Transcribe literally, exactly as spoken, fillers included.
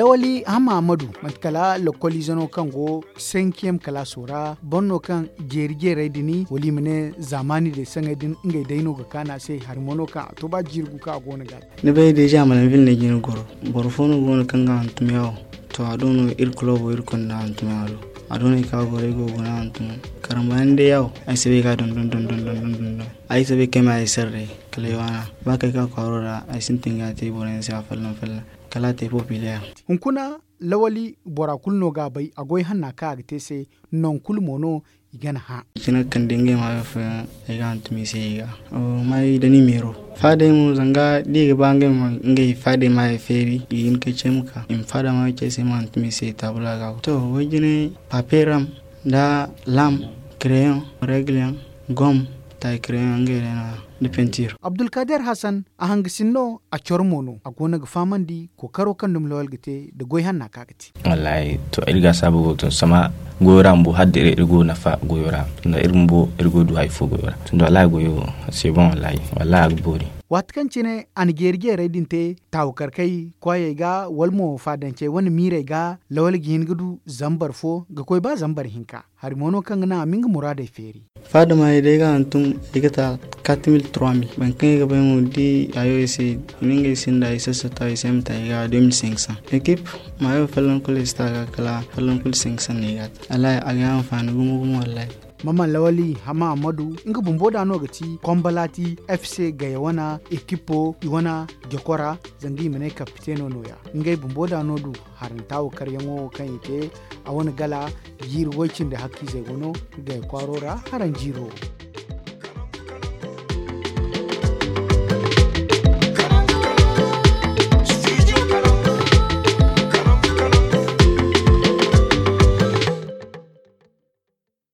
Lawali Hamma Ahmadu, manti kala lokkoliize no kaŋ go senkiyem kalaaso ra, boro no kaŋ jeeri jeerey din, wala i ma ne zaamaani day saŋey din, ngey day no ga kaan a se. Hari mo no kaŋ a to ba jiiri gu kaŋ a go no ga a te. Ni bay deeza, Malanville no ay jina goro. Boro fo no go no kaŋ ga hantum yawo. To, a do no iri kuloobo iri konda hantum yawo do. A do no ay ka goro, ay go ga guna hantum. Karambaani day yawo, ay si bay ga dondon dondon dondon dondon. Ay si bay kay ma ay sarre kala ay waana. Ba kay ka kwaaro ra, ay sintin ga te boro yaŋ se afolloŋ folloŋ. Kala a te populaire. Hunkuna, Lawali, bora kulu no ga a bay, a goy hanna kaŋ a ga te se, non kulu mo no i ga n'a hã. Jina kaŋ da ngey maayo fooyaŋ, ay ga hantum i se i ga. Maayo da ni meero. Faadey mo, zanga da i ga ba ngey ma ngey faadey maayo feeri, i ga hin ka ce ma ka. I ma faada maayo ce ay se, ma hantum i se taabula ga. To, wayjine, papier ram, da lam, crayon, règle yaŋ, gom, taay crayon yaŋ, ngey day no-ya, da peinture. Abdulkader Hassan, a hangasin no, a coro mo no, a go no ga fahamandi kookaro kaŋ dumi Lawal ga te nda goy hanna kaŋ a ga te. Wallaahi, to, iri ga saabu go to, sama goyo ra bumbo, hala da iri, iri go nafa goyo ra, tunda iri bumbo iri go du hari fo goyo ra. Tunda wallaahi goyo, c'est bon, wallaahi, wallaahi a ga boori. Waati kaŋ cine a na jeeri jeerey din te, taawakarkey kwaayey ga, wala mo faadancey wane miirey ga, Lawal ga hin ga du zambar fo, ga koy ba zambar hinka. Hari mo no kaŋ ga naŋ a ma nga muraadey feeri. Faada maayey day ga hantum, ay ga ta quatre mille, trois mille. Boro kaŋ ay ga bay mo, da i hayo ay se, i na ngey sinda, ay sassata, ay se ay ma ta ay ga deux mille cinq cents. Équipe, maayo folloŋ kulu ay si ta a ga kala, folloŋ kulu cinq cents no ay ga a ta. Wallaahi, a ga ay anfaani gumo gumo, wallaahi. Maman Lawali Hama Ahmadu, nga bumbo da no ga ti Kombalati F C Gaya wana ekipo, i wana jokora, zanga i ma ne kapiteno nooya. Ngey bumbo da no du haranta wo karyaŋo wo kaŋ i te, a wane gala jiiri way cindi hakkiizey go no Gaya kwaaro ra haranjiiro.